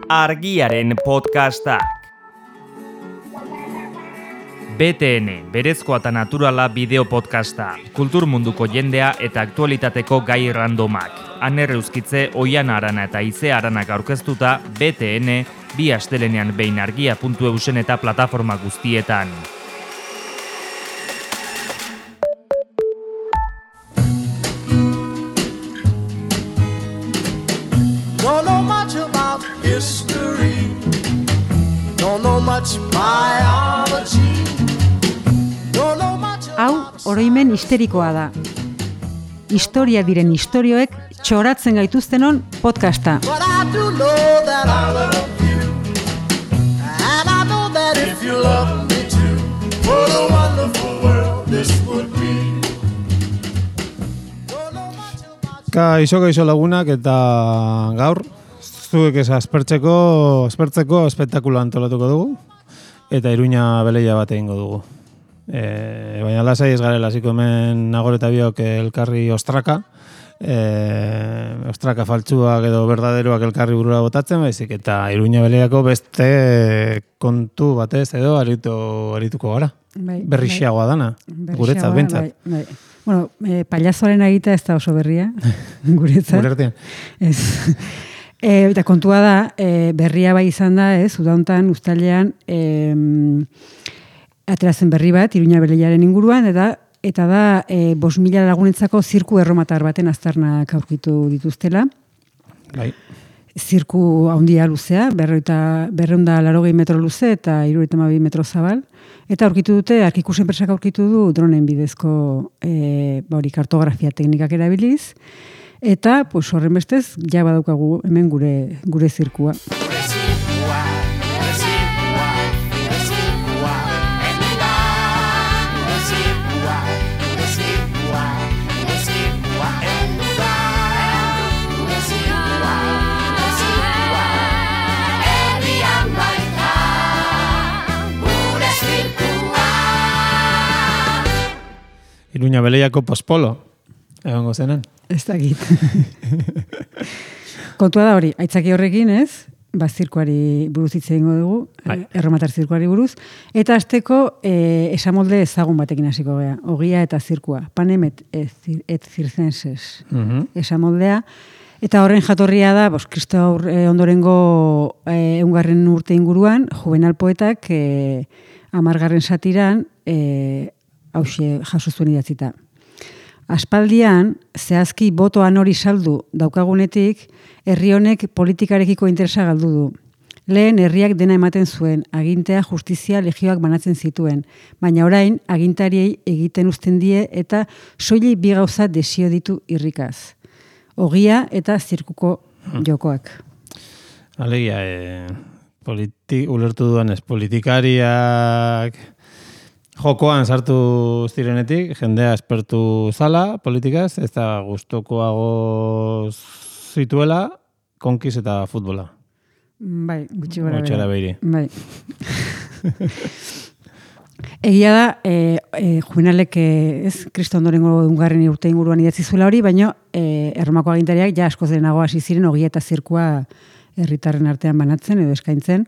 Argiaren podcastak. BTN, berezkoa eta naturala bideo podcasta. Kultur munduko jendea eta aktualitateko gai randomak. Aner Euskitze, Oiana Arana eta Ize Aranak aurkeztuta BTN, bi astelenean behin argia.eusen eta plataforma guztietan. Don't know much about history. Don't know much biology. Don't know much Hau, oroimen histerikoa da. Historia diren istorioek txoratzen gaituztenon podcasta. But I do know that I love you. And I know that if you love me too, what a wonderful world this would be. Don't know much about Kaixo lagunak eta gaur zuek aspertzeko espektakulo antolatuko dugu eta Iruña beleia bat egingo dugu. Baina lasai ez garela hasiko hemen Nagore eta biok elkarri ostraka faltsuak edo berdaderoak elkarri burura botatzen, baizik eta Iruña beleiako beste kontu batez edo arituko gara. Berrixiagoa dana, guretzat bentsat. Bai. Bueno, pailazoaren egitea ez da oso berria, guretzat. Gure Ez. Eta kontua da, berria bai izan da, udauntan, uztailean, aterazen berri bat, Iruña beleiaren inguruan, eta da 5.000 lagunetzako zirku erromatar baten aztarnak aurkitu dituztela. Bai. Zirku handia luzea, 280 metro luze eta 72 metro zabal. Eta aurkitu dute, Arkikus enpresak aurkitu du dronen bidezko kartografia teknikak erabiliz. Eta, horren bestez, ja badaukagu hemen gure zirkua. Iruña beleiako pospolo, egongo zenen. Ez dakit. Kontua da hori, aitzaki horrekin zirkuari buruz hitz egingo dugu, erromatar zirkuari buruz, eta hasteko esamolde ezagun batekin hasiko gea, ogia eta zirkua, panem et circenses esamoldea, eta horren jatorria da, Kristo ondorengo 100. urte inguruan, Juvenal poetak 10. satiran hauxe jaso zuen idatzita. Aspaldian, zehazki botoan hori saldu daukagunetik, herri honek politikarekiko interesa galdu du. Lehen herriak dena ematen zuen, agintea, justizia, legioak banatzen zituen, baina orain agintariei egiten uzten die eta soilik bi gauza desio ditu irrikaz. Ogia eta zirkuko jokoak. Alegia, ulertu duanez, politikariak jokoan sartu zirenetik, jendea espertu zala, politikaz, ez da gustokoago zituela, konkiz eta futbola. Bai, gutxi gara behiri. Bai. Egia da, Juvenalek Kristo ondorengo 100. urte inguruan idatzi zuela hori, baina Erromako agintariak ja askoz denago hasi ziren ogia eta zirkua herritarren artean banatzen edo eskaintzen.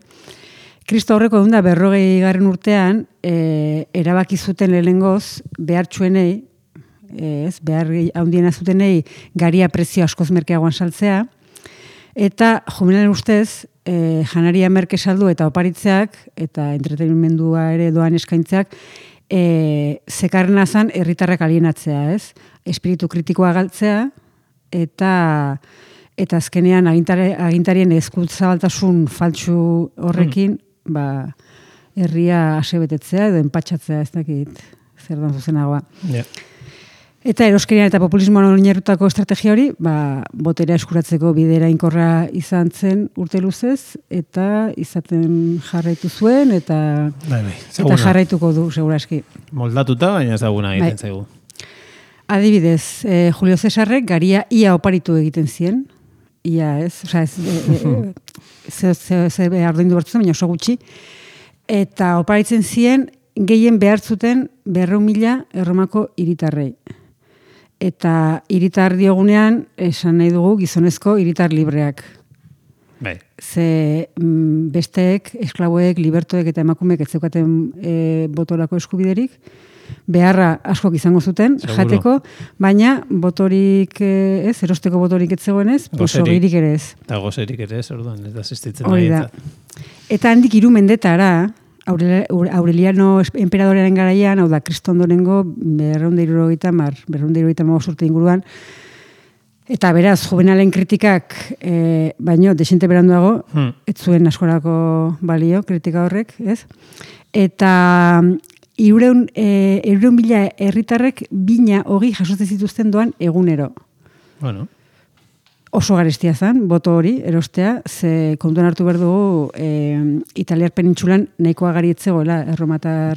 Kristo aurreko 150. urtean erabaki zuten lehenengoz behartsuenei, behar handiena zutenei garia prezio askoz merkeagoan saltzea, eta Juvenalen ustez janaria merke saldu eta oparitzeak eta entretenimendua ere doan eskaintzeak zekarrena zan herritarrak alienatzea, espiritu kritikoa galtzea eta azkenean agintarien eskutzabaltasun faltsu horrekin herria asebetetzea edo enpatxatzea, ez dakit zer dan zuzenagoa. Yeah. Eta eroskerian eta populismoan oinarritutako estrategia hori, boterea eskuratzeko bidera inkorra izan zen urte luzez, eta izaten jarraitu zuen, eta jarraituko du, seguraski. Moldatuta, baina ezaguna egiten zaigu. Adibidez, Julio Cesarrek garia ia oparitu egiten zien, ia ez, ze ardoindu bertzen, baina oso gutxi, eta oparitzen zien gehien behar zuten 200.000 Erromako hiritarrei. Eta hiritar diogunean esan nahi dugu gizonezko hiritar libreak. Bai. Ze besteek, esklaboek, libertoek eta emakumeek ez zeukaten botorako eskubiderik, beharra askok izango zuten, Seguro. jateko, baina botorik erosteko botorik ez zegoenez, ogirik ere ez. Eta gozerik ere ez, orduan, ez da asistitzen Hori da. nahi. Eta handik 3 mendetara, Aureliano enperadorearen garaian, hau da, Kristo ondorengo 275 urte inguruan, eta beraz, juvenalen kritikak, baino, desente beranduago, ez zuen askorako balio, kritika horrek, ez? Eta 300.000 herritarrek bina hogi jasotzen zituzten doan egunero. Bueno. Oso garestia zen, boto hori, erostea, ze kontuan hartu behar dugu Italiar penintsulan nahikoa gari etzegoela erromatar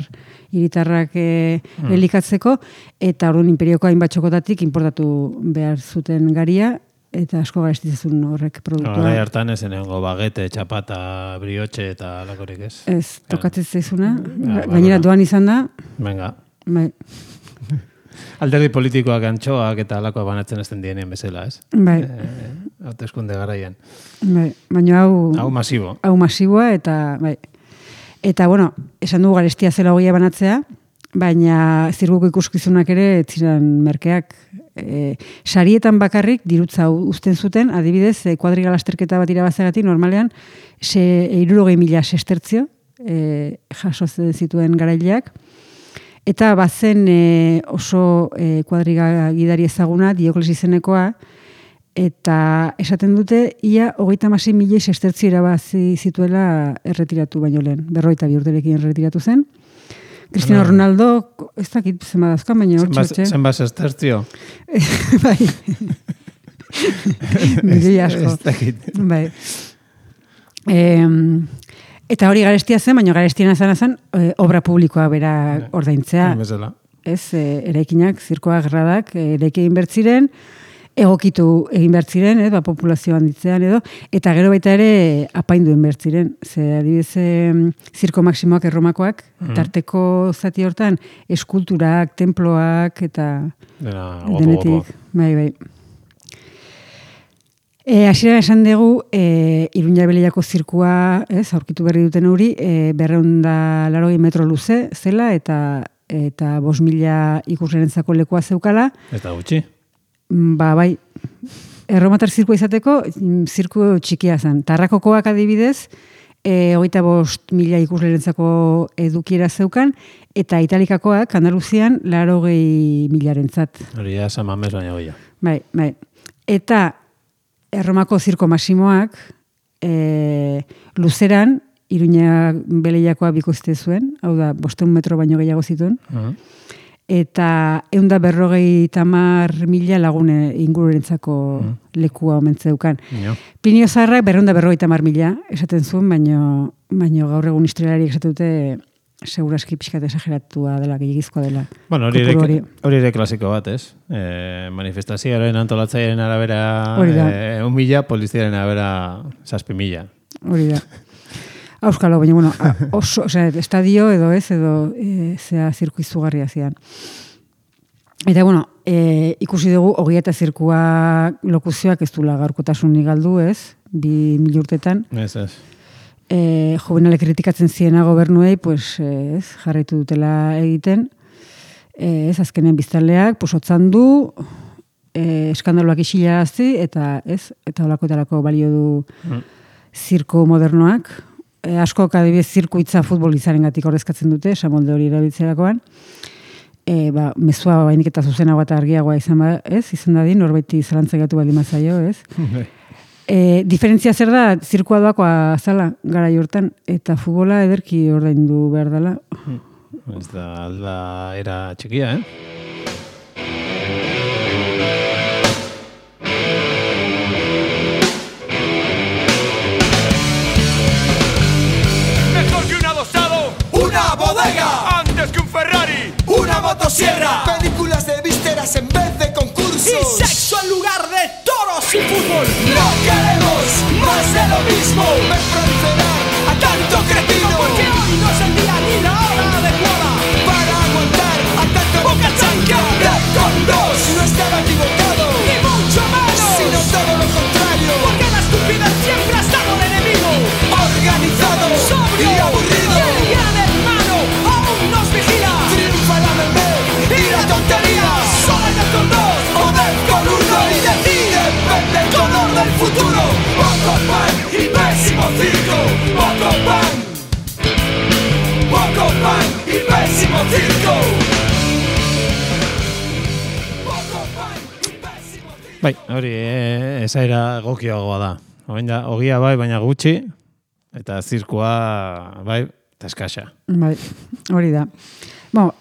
hiritarrak elikatzeko, eta orduan imperioko hainbat txokotatik importatu behar zuten garia, eta asko garestitzen horrek produktua. Horai hartan ez enengo bagete, txapata, briotxe eta alakorik ez. Ez, tokatzen zaizuna, gainera doan izan da. Venga. Bai. Alderdi politikoak antxoak eta alakoa banatzen ezten dienien bezala, ez? Bai. Hauteskunde garaian. Bai, baina Hau masibo. Hau masiboa eta bai. Eta bueno, esan dugu garestia zela hogia banatzea, baina zirkuko ikuskizunak ere ez ziren merkeak. Sarietan bakarrik dirutza uzten zuten, adibidez, kuadriga lasterketa bat irabazagatik normalean 60.000 sestertzio jaso zituen garaileak. Eta bazen oso kuadriga gidari ezaguna, Diokles izenekoa, eta esaten dute, ia 36.000 sestertzio irabazi zituela erretiratu baino lehen. 42 urterekin erretiratu zen. Cristiano Ronaldo, ez dakit zenba dazkan, baina hor txotxe. Zenba sestertzio? Bai. Milioi asko. Ez dakit. Bai. Eta hori garestia zen, baina garestiena zen obra publikoa bera ordaintzea. Bezala. Ez, eraikinak, zirkoa gerradak, eraiki egin bertziren, egokitu egin bertziren, populazio handitzean edo, eta gero baita ere apaindu egin bertziren. Ze adibidez, zirko maksimoak erromakoak, tarteko zati hortan, eskulturak, temploak, eta denetik. Bai. Hasieran esan dugu, Iruña Beleiako zirkua, aurkitu berri duten hori, 280 metro luze zela, eta 5.000 ikuslerentzako lekua zeukala. Eta gutxi? Bai, erromatar zirkua izateko, zirku txikia zen. Tarrakokoak adibidez, 25.000 ikuslerentzako edukiera zeukan, eta italikakoak, Andaluzian, 80.000-rentzat. Hori ja, San Mamés baina goia. Bai. Eta Erromako zirko masimoak luzeran Iruña Beleiakoa bikoizte zuen, hau da, 500 metro baino gehiago zituen, eta 150.000 lagune ingururentzako lekua omentzeukan. Plinio Zaharrak 250.000 esaten zuen, baino gaur egun historialariek esate dute seguraski pixkat esageratua dela, gehiagizkoa dela. Bueno, hori ere klasiko bat, ez? Manifestazioaren antolatzailearen arabera 1.000, poliziaren arabera 7.000. Hori da. Auskalo, baina, bueno, estadio edo zea zirku izugarria zian. Eta, bueno, ikusi dugu, hogia eta zirkua lokuzioak ez dula gaurkotasunik galdu, ez? 2.000 urtetan. Ez. Juvenalek kritikatzen ziena gobernuei, pues, jarraitu dutela egiten. Azkenen biztanleak, otzan du, eskandaloak isilarazi, eta olako balio du zirko modernoak. Asko adibidez zirkuitza futbolizaren gatik ordezkatzen dute, esamolde hori erabiltzerakoan. Mezua bainik eta zuzenagoa eta argiagoa izan dadin, norbaiti zalantzagatu baldin mazaio, ez? Diferentzia zer da, zirkua doakoa zala gara jortan, eta futbola ederki ordaindu behar dela. Ez da alda era txikia, Mejor que un adosado, una bodega, antes que un Ferrari, una motosierra, películas de vísceras en vez de concursos y sexo en lugar de toros y fútbol. No queremos más de lo mismo. Ven proliferar a tanto cretino, porque hoy no es el día ni la hora adecuada para aguantar a tanto bocachán. poco pan y pésimo circo. Poco pan y pésimo circo. Poco pan y pésimo circo. Bai, hori esaira egokioagoa da. Ogia bai, baina gutxi, eta zirkua bai, eta eskasa. Bai, hori da. Bueno,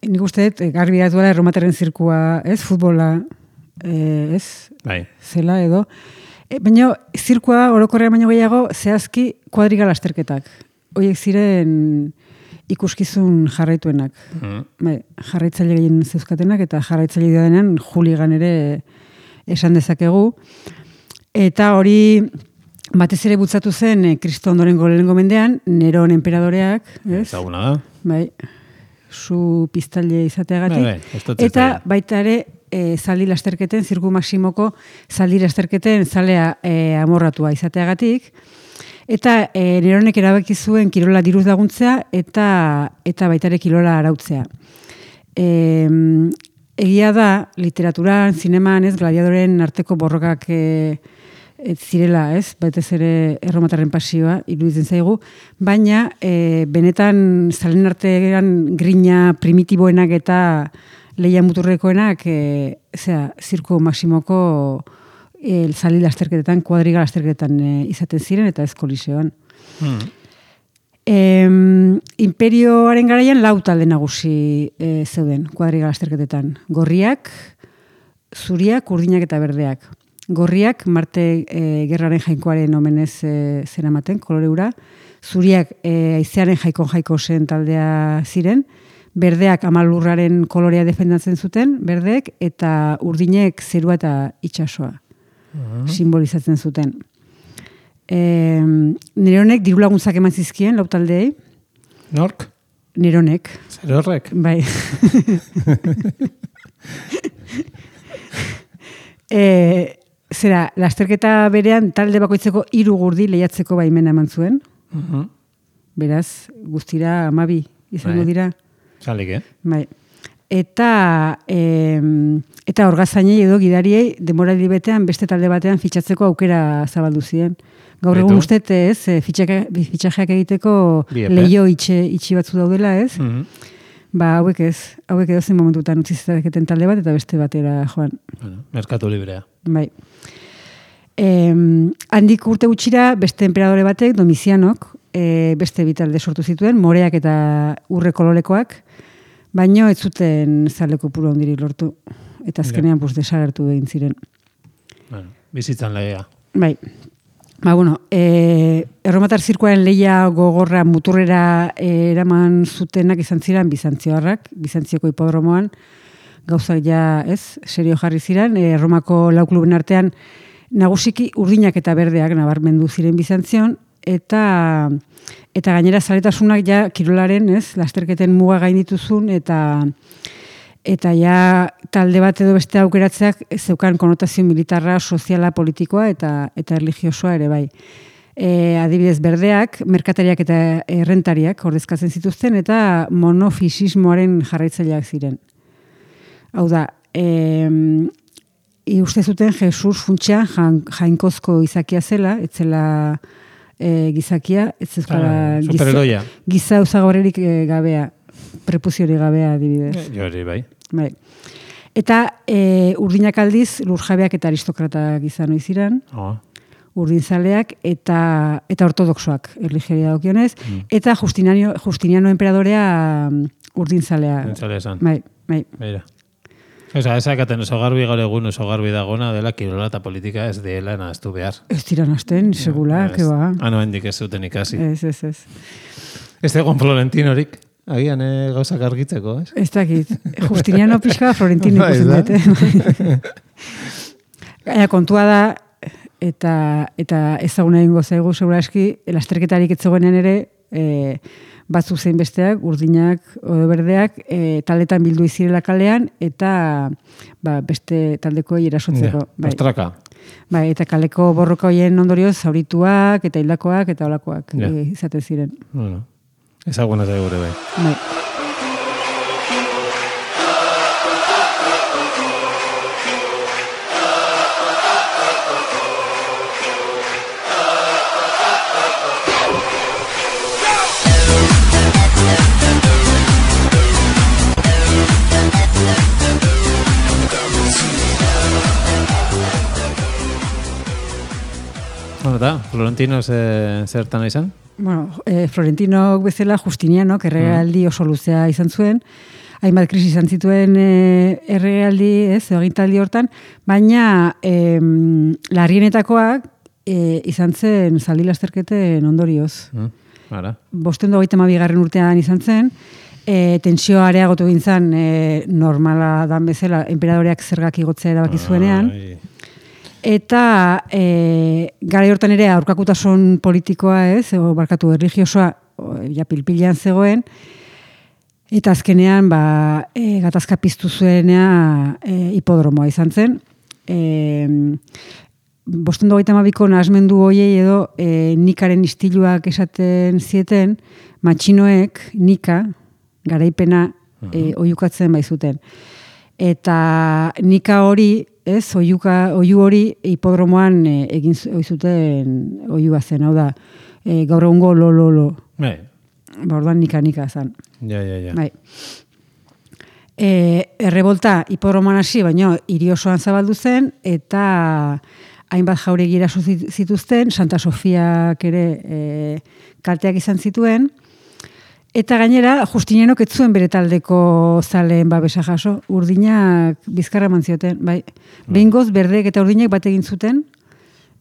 nik uste dut, garbi datuela erromaterren zirkua, ez, futbola, ez, Bai. zela edo. Baina zirkua orokorrean baino gehiago zehazki kuadriga lasterketak. Horiek ziren ikuskizun jarraituenak. Bai, jarraitzaile gehien zeuzkatenak eta jarraitzaile denean juligan ere esan dezakegu. Eta hori batez ere bultzatu zen Kristo ondorengo lehenengo mendean, Neron enperadoreak, ez? Ezaguna da. Bai, zu piztaile izateagatik. Bai, Eta baita ere zaldi lasterketen, zirku maksimoko zaldi lasterketen zalea amorratua izateagatik. Eta Neronek erabaki zuen kirola diruz laguntzea eta baita ere kirola arautzea. Egia da, literaturan, zineman, ez, gladiadoren arteko borrokak zirela, ez, batez ere erromatarren pasioa, iruditzen zaigu, baina benetan zalen artean grina primitiboenak eta lehia muturrekoenak, zirko maksimoko zaldi lasterketetan, kuadriga lasterketetan izaten ziren eta ez koliseoan. Imperioaren garaian 4 talde nagusi zeuden kuadriga lasterketetan. Gorriak, zuriak, urdinak eta berdeak. Gorriak Marte gerraren jainkoaren omenez zeramaten, koloreura. Zuriak haizearen jaiko zen taldea ziren. Berdeak amalurraren kolorea defendatzen zuten, berdeek, eta urdinek zerua eta itsasoa simbolizatzen zuten. Neronek diru laguntzak eman zizkien, 4 taldeei. Nork? Neronek. Zer horrek? Bai. Zera, lasterketa berean talde bakoitzeko 3 gurdi lehiatzeko baimena eman zuen. Beraz, guztira 12 izango dira. Zalik, Bai. Eta orgazainei edo gidariei denboraldi betean beste talde batean fitxatzeko aukera zabaldu ziren. Gaur egun ustet, ez, fitxajeak egiteko leio itxi batzu daudela, ez? Ba, hauek edo zen momentutan utzi zezaketen talde bat eta beste batera joan. Bueno, merkatu librea. Bai. Handik urte gutxira beste enperadore batek, Domizianok, beste bitalde sortu zituen, moreak eta urre kolorekoak, baino ez zuten zaleko puro ondirik lortu. Eta azkenean desagertu egin ziren. Bueno, bizitzan legea. Bai. Ba, bueno, erromatar zirkuaren lehia gogorra muturrera eraman zutenak izan ziren Bizantzioarrak, Bizantzioko hipodromoan, gauzak ja, ez, serio jarri ziren, Erromako 4 kluben artean nagusiki urdinak eta berdeak nabarmendu ziren Bizantzion, eta gainera zaletasunak ja kirolaren, ez, lasterketen muga gaindituzun, eta ja talde bat edo beste aukeratzeak zeukan konotazio militarra, soziala, politikoa eta erlijiosoa ere bai. Adibidez, berdeak, merkatariak eta errentariak ordezkatzen zituzten eta monofisismoaren jarraitzaileak ziren. Hau da, uste zuten Jesus funtsean jainkozko izakia zela, etzela gizakia, etzezkola giza usagorerik gabea, prepuziorik gabea adibidez. Jori, bai. Bai. Eta urdinak aldiz lurjabeak eta aristokratak izan oiziran, urdinzaleak eta ortodoxoak erlijeria dokionez, eta Justiniano emperadorea urdinzalea. Urdinzalea esan. Bai. Beira. Osa, ezakaten oso garbi gaur egun oso garbi dagona dela kirola eta politika ez dela nahaztu behar. Ez dira nahazten, segula, keba. Hendik ez zuten ikasi. Ez. Ez egon Florentinorik. Agian gauzak argitzeko, ez? Ez dakit. Justiniano pixka Florentino ikusten dute. Gaina kontua da, eta ezaguna egingo zaigu, segura eski, lasterketarik etzegoenean ere, batzuk zein besteak, urdinak, odo berdeak, taldetan bildu izirela kalean, eta beste taldekoei erasotzeko. Ostraka. Bai, eta kaleko borroka hoien ondorioz, zaurituak, eta hildakoak, eta olakoak izaten ziren. Bueno. Ezaguna zaigu ere bai. Bai. da, Florentino zertan izan? Bueno, Florentino bezala Justiniano, erregealdi oso luzea izan zuen, hainbat krisi izan zituen erregealdi, agintaldi hortan, baina larrienetakoak izan zen zaldi lasterketen ondorioz. Ara. 522. urtean izan zen, tensioa areagotu egin zen normala dan bezala, enperadoreak zergak igotzea erabaki zuenean. Eta gara hortan ere aurkakutasun politikoa erligiosoa ja pilpilean zegoen, eta azkenean gatazka piztu zuenea hipodromoa izan zen. 522ko nahasmendu hoiei edo Nikaren istiluak esaten zieten, matxinoek Nika garaipena oihukatzen baizuten. Eta Nika hori, oihu hori hipodromoan egin oizuten oihua zen, hau da, gaur egungo lo. Orduan Nika zen. Ja. Bai. Errebolta hipodromoan hasi, baina hiri osoan zabaldu zen, eta hainbat jauregi eraso zituzten, Santa Sofiak ere kalteak izan zituen, eta gainera Justinianok ez zuen bere taldeko zaleen babesa jaso, urdinak bizkarra eman zioten, bai. Behingoz berdeek eta urdinek bat egin zuten,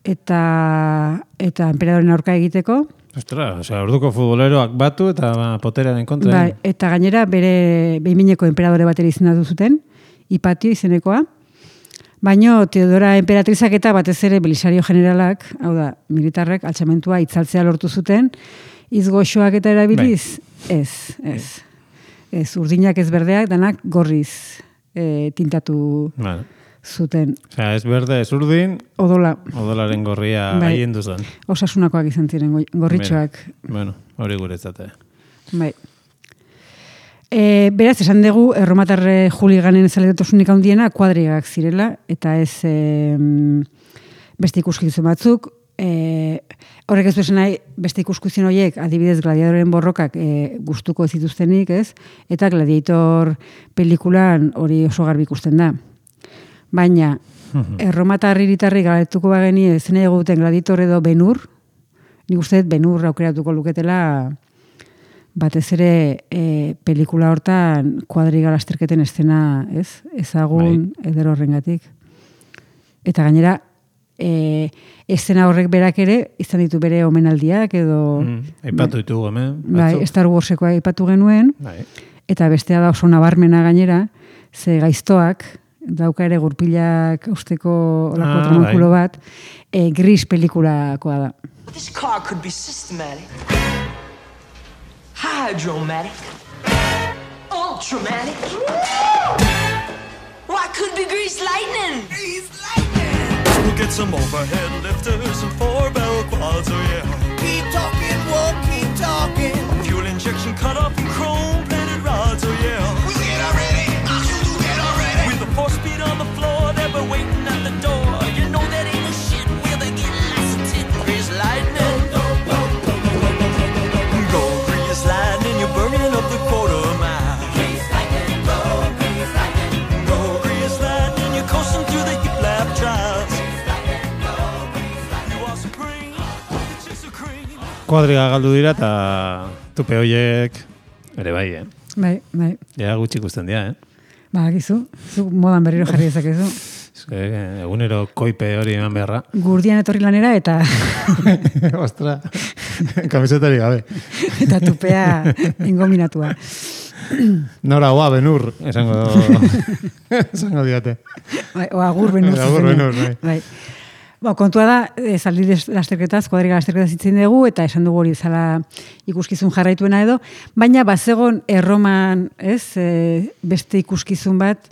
eta enperadoren aurka egiteko. Ostra, orduko futboleroak batu eta poterearen kontra. Bai, eta gainera bere behinmineko enperadore bateri izendatu zuten, Hipatio izenekoa. Baino Teodora enperatrizak eta batez ere Belisario generalak, hau da, militarrek altxamentua itzaltzea lortu zuten, izgoxoak eta erabiliz, ez, urdinak ez berdeak, danak gorriz tintatu zuten. Osea, ez berde, ez urdin, odolaren gorria haien duzan. Osasunakoak izan ziren, gorritxoak. Bueno, hori guretzate. Bai. Beraz, esan dugu, erromatarre juliganen zaletotasunik handiena kuadrigak zirela, eta ez beste ikuskizun batzuk. Horrek ez duzen nahi, beste ikuskizun horiek, adibidez gladiadoren borrokak gustuko ez dituztenik, ez? Eta Gladiator pelikulan hori oso garbi ikusten da. Baina, erromatar hiritarri galetuko bageni zena eguten Gladiator edo Ben-Hur, nik uste Ben-Hur aukeratuko luketela batez ere pelikula hortan kuadriga lasterketen estena, ez? Ezagun eder horrengatik. Eta gainera, estena horrek berak ere, izan ditu bere omenaldiak edo... Aipatu ditugu hemen. Bai, Star Warsekoa aipatu genuen. Eta bestea da oso nabarmena gainera, ze gaiztoak, dauka ere gurpilak usteko olako tramankulo bat, Gris pelikulakoa da. This car could be systematic, hydromatic, ultramatic. Why could be grease lightning? Grease lightning. We'll get some overhead lifters and 4-bell quads, oh yeah. Keep talking, we'll keep talking. Fuel injection cut off and chrome-plated rods, oh yeah. We'll get already, get already. With a 4-speed on the floor, they were waiting at the door. You know that ain't no shit where they get lots of tit. Grease lightning. Go grease lightning, you're burning up the quarter mile. Grease lightning, go grease lightning. Go grease lightning, you're coasting through the hip lap trials. Kuadriga galdu dira eta tupe hoiek ere bai, Bai. Ja gutxi ikusten dira, Ba, gizu, zu modan berriro jarri dezakezu. Egunero koipe hori eman beharra. Gurdian etorri lanera eta... Ostra, kamisetari gabe. Eta tupea engominatua. Nora oa Ben-Hur, esango diate. Bai, o agur Ben-Hur. Agur Ben-Hur, bai. Kontua da, zaldi lasterketaz, kuadriga lasterketaz itzen dugu, eta esan dugu hori zala ikuskizun jarraituena edo, baina bazegon erroman, beste ikuskizun bat,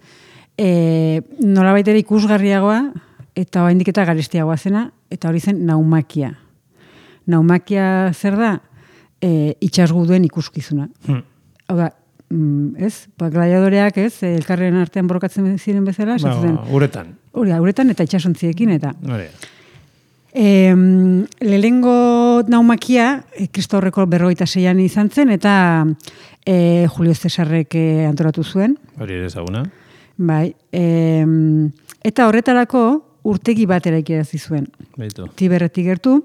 nolabait ere ikusgarriagoa, eta oraindik eta garestiagoa zena, eta hori zen naumakia. Naumakia zer da? Itsasguduen ikuskizuna. Hau da, gladiadoreak, elkarren artean borrokatzen ziren bezala, uretan. Uretan eta itsasontziekin eta. Lehengo naumakia, Kristo horreko 46an izan zen, eta Julio Cesarrek antolatu zuen. Hori ere ezaguna. Bai. Eta horretarako, urtegi bat eraikerazi zuen. Beitu. Tiberretik gertu,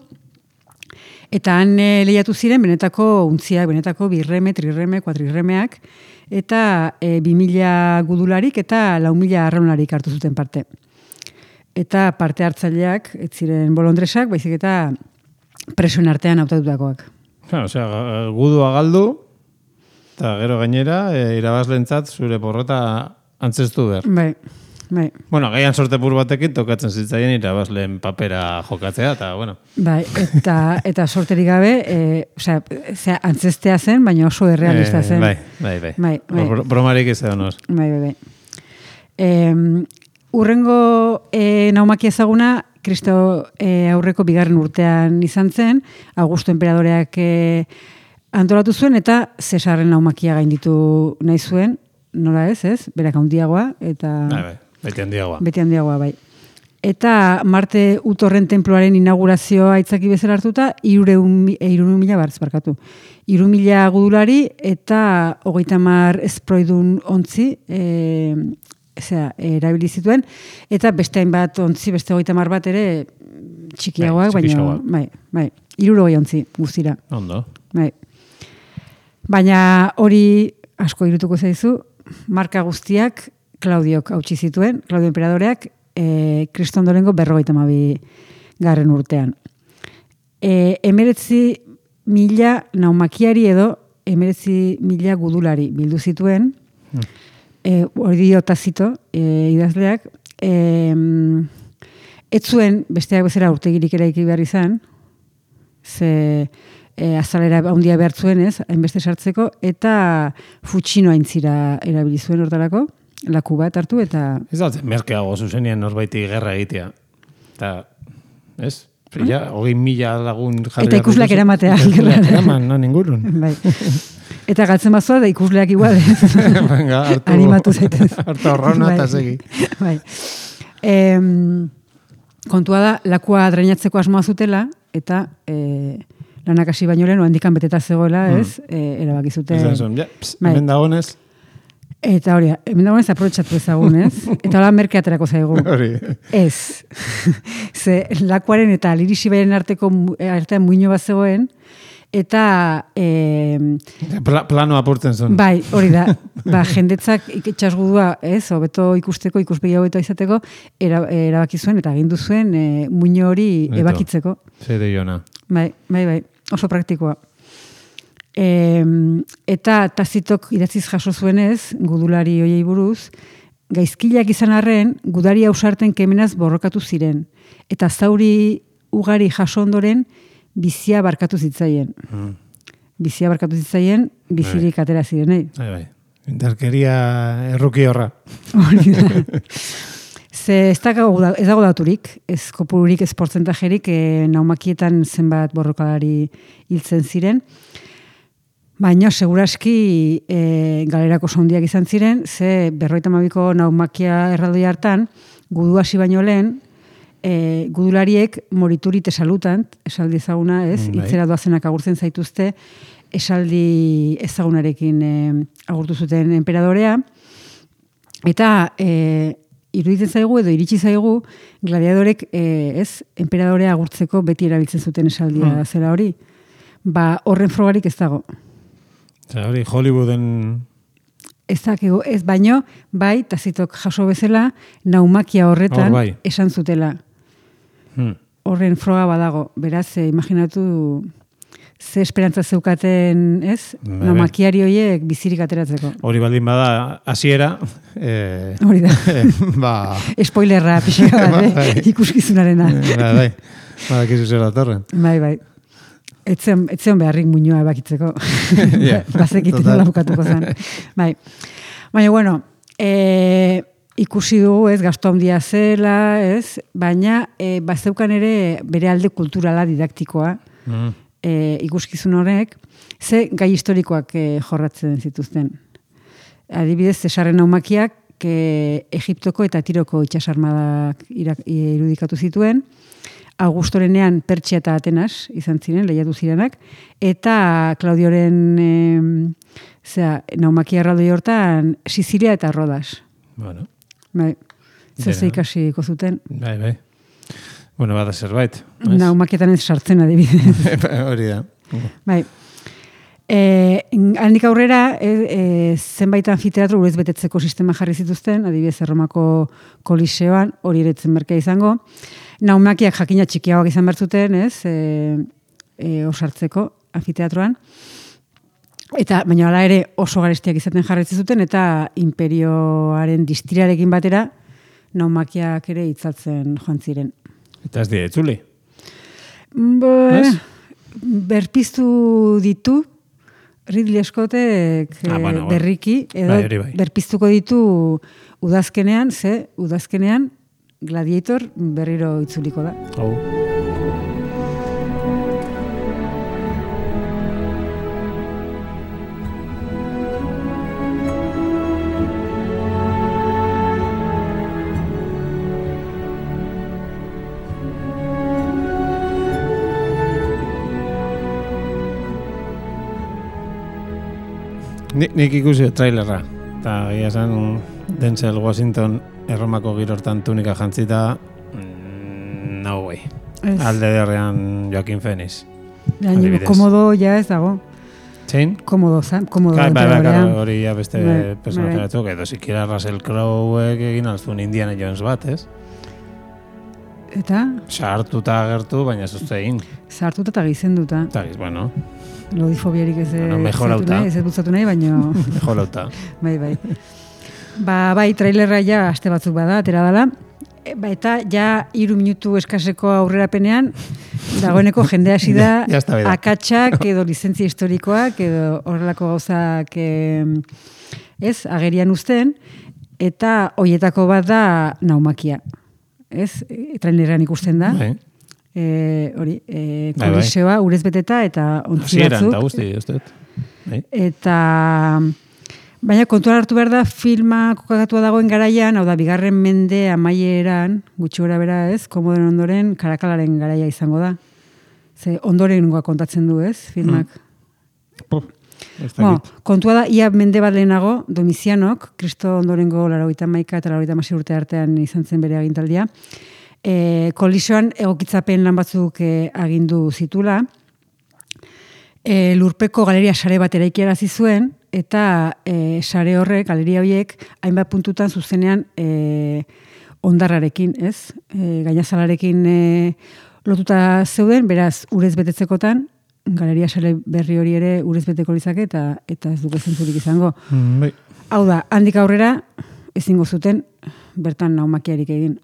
eta han lehiatu ziren benetako untziak, benetako birreme, trirreme, kuatrirremeak, eta 2000 gudularik eta 4.000 arraunlarik hartu zuten parte. Eta parte hartzaileak, ez ziren bolondresak, baizik eta presoen artean hautatutakoak. Osea, gudua galdu, eta gero gainera, irabazlentzat zure porrota antzestu behar. Bai. Bueno, gaian sortepur batekin tokatzen zitzaien irabazleen papera jokatzea, eta bueno. Bai, eta sorterik gabe, osea, antzestea zen, baina oso errealista zen. Bai. Bromarik ez egon os. Bai. Urrengo naumakia ezaguna, Kristo aurreko 2. urtean izan zen, Augusto enperadoreak antolatu zuen, eta Cesarren naumakia gainditu nahi zuen, nola ez? Berak handiagoa, eta... Bai. Beti handiagoa, bai. Eta Marte Utorren tenpluaren inaugurazioa aitzaki bezala hartuta, 300.000 bartz barkatu. 3.000 gudulari eta 30 esproidun ontzi erabili zituen, eta beste hainbat ontzi, beste 30 bat ere txikiagoak, baina bai, 60 ontzi guztira. Ondo. Bai. Baina hori asko irutuko zaizu, marka guztiak Klaudiok hautsi zituen, Klaudio enperadoreak, Kristo ondorengo 52 garren urtean. 19.000 naumakiari edo 19.000 gudulari bildu zituen, hori dio Tazito idazleak, ez zuen besteak bezala urtegirik eraiki behar izan, ze azalera handia behar zuenez, hainbeste sartzeko, eta futxino aintzira erabili zuen hortarako, laku bat hartu, eta... Ez da, merkeago zuzenien norbaiti gerra egitea. Eta, ez? Ja, 20.000 lagun jarri... Eta ikusleak eramatea. Eraman, no, ningurun. Bai. Eta galtzen bazua, da ikusleak igual. Venga, animatu zaitez. Hartu horrona eta segi. Bai. Kontua da, lakua dreinatzeko asmoa zutela, eta lanak hasi baino lehen, handikan beteta zegoela, ez? Erabaki zuten. Hemen dagonez. Eta hori, hemen dagoenez aprobetxatu ezagun, ez? Eta hola merkeaterako zaigu. Ez. Ze lakuaren eta lirisi beren artean muino bat zegoen, eta... Plano apurtzen zuen. Bai, hori da. Jendetzak itxasgudua, ez? Hobeto ikusteko, ikuspegi hobeto izateko, erabaki zuen, eta agindu zuen muino hori ebakitzeko. Zede jona. Bai. Oso praktikoa. Eta Tazitok idatziz jaso zuenez, gudulari hoiei buruz, gaizkileak izan arren, gudari ausarten kemenaz borrokatu ziren. Eta zauri ugari jaso ondoren, bizia barkatu zitzaien. Bizia barkatu zitzaien, bizirik atera ziren, Bai. Indarkeria erruki horra. Hori da. Ze ez dago daturik, ez kopururik, ez portzentajerik, naumakietan zenbat borrokalari hiltzen ziren. Baina, seguraski galerako sondiak izan ziren, ze 52ko naumakia erraldoi hartan, gudu hasi baino lehen, gudulariek morituri tesalutant, esaldi ezaguna, ez? Itzera doazenak agurtzen zaituzte, esaldi ezagunarekin agurtu zuten enperadorea, eta iruditzen zaigu edo iritsi zaigu, gladiadorek enperadorea agurtzeko beti erabiltzen zuten esaldia zela hori. Horren frogarik ez dago. Hori, Hollywooden... Ez dakigu, ez baino, bai, Tazitok jaso bezala, naumakia horretan esan zutela. Horren froga badago. Beraz, imaginatu ze esperantza zeukaten, ez? Naumakiari horiek bizirik ateratzeko. Hori baldin bada, hasiera. Hori da. Spoilerra, pixka bat, ikuskizunarena. Bai, badakizu zela torren. Bai. Etzeon beharrik muñoa ebakitzeko. Bazekiten nola bukatuko zen. Bai. Baina, bueno, ikusi dugu, ez, gasto handia zela, ez, baina bazeukan ere bere alde kulturala didaktikoa ikuskizun horrek, ze gai historikoak jorratzen zituzten. Adibidez, Cesarren naumakiak Egiptoko eta Tiroko itsasarmadak irudikatu zituen, Augustorenean Pertsia eta Atenas izan ziren, lehiatu zirenak, eta Claudioren naumakia erraldoi hortan Sizilia eta Rodas. Bueno. Bai. Zer ikasiko zuten. Bai. Bueno, bada zerbait. Naumakietan ez sartzen adibidez. Hori da. Bai. Handik aurrera, zenbait anfiteatro urez betetzeko sistema jarri zituzten, adibidez Erromako Koliseoan, hori eretzen merkea izango. Naumakiak jakina txikiagoak izan behar zuten, ez? Osartzeko anfiteatroan. Baina hala ere oso garestiak izaten jarraitzen zuten, eta imperioaren distirarekin batera, naumakiak ere itzaltzen joan ziren. Eta ez dira itzuli. Berpiztu ditu, Ridley Scottek bueno. berriki, edo Bai. berpiztuko ditu udazkenean, udazkenean Gladiator berriro itzuliko da. Nik ikusi trailerra, eta egia esan Denzel Washington Erromako girortan tunika jantzita, no way. Alde derrean Joaquin Phoenix. Komodo ja ez dago. Zein? Komodo. Hori ja beste personaje batzuk, edo sikiera Russell Crowe egin alzun Indiana Jones bat, ez? Eta? Sartuta agertu, baina zuzte egin. Sartuta eta gizenduta. Eta giz, bueno. Lodifobiarik ez mejorauta. Ez bultzatu nahi, baina... Mejorauta. Bai. Bai, trailerra ja aste batzuk bada, atera dela. Eta ja 3 minutu eskaseko aurrerapenean, dagoeneko jende hasi da akatsak edo lizentzia historikoak edo horrelako gauzak agerian uzten, eta hoietako bat da naumakia. Trailerrean ikusten da. Koliseoa urez beteta eta ontzi batzuk. Eta baina kontuan hartu behar da filma kokagatua dagoen garaian, hau da, 2. mende amaieran, gutxi gora bera komodoren ondoren, Karakalaren garaia izango da. Ze ondorengoa kontatzen du, filmak. Kontua da, ia mende bat lehenago, Domizianok, Kristo ondorengo 81 eta 86 urte artean izan zen bere agintaldia, Koliseoan egokitzapen lan batzuk agindu zitula, lurpeko galeria sare bat eraikiarazi zuen, eta sare horrek, galeria horiek, hainbat puntutan zuzenean ondarrarekin, gainazalarekin lotuta zeuden, beraz, urez betetzekotan, galeria sare berri hori ere urez beteko lizake, eta ez duke zentzurik izango. Hau da, handik aurrera, ezingo zuten, bertan naumakiarik egin.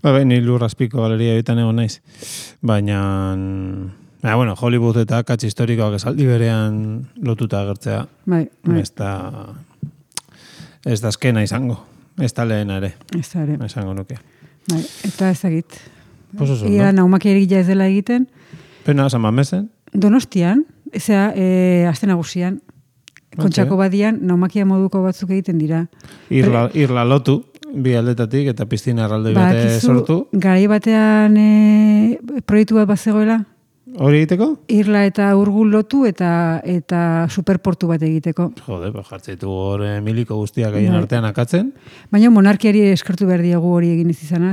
Ni lurrazpiko galeria bitan egon naiz. Baina, Hollywood eta akats historikoak esaldi berean lotuta agertzea. Ez da azkena izango. Ez da lehena ere. Esango nuke. Eta ezagit. Ia naumakiarik ja ez dela egiten. Pena, San Mamesen? Donostian, aste nagusian. Kontxako badian, naumakia moduko batzuk egiten dira. Irla lotu. Bi aldetatik eta piztina erraldoi bate sortu. Garai batean proiektu bat bazegoela? Hori egiteko? Irla eta Urgul lotu eta superportu bat egiteko. Jode, jartzeitu hor miliko guztiak egin artean akatzen. Baina monarkiari eskertu behar diegu hori egin ez izana,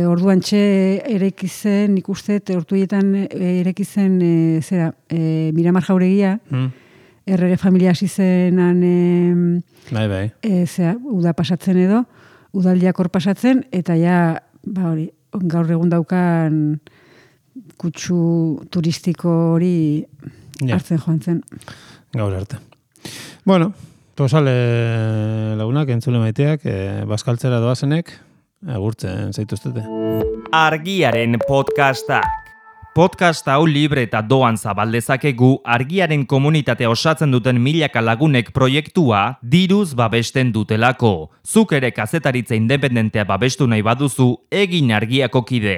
orduan txe erekizen, ikuste, ortuietan erekizen, Miramar Jauregia, errege familia hasi zenan uda pasatzen edo, udaldiak hor pasatzen, eta gaur egun daukan kutsu turistiko hori hartzen joan zen. Gaur arte. Bueno, posale lagunak, entzule maiteak, bazkaltzera doazenek, agurtzen zaituztete. Argiaren podcasta. Podcast hau libre eta doan zabaldezakegu Argiaren komunitatea osatzen duten milaka lagunek proiektua diruz babesten dutelako. Zuk ere kazetaritza independentea babestu nahi baduzu, egin Argiako kide.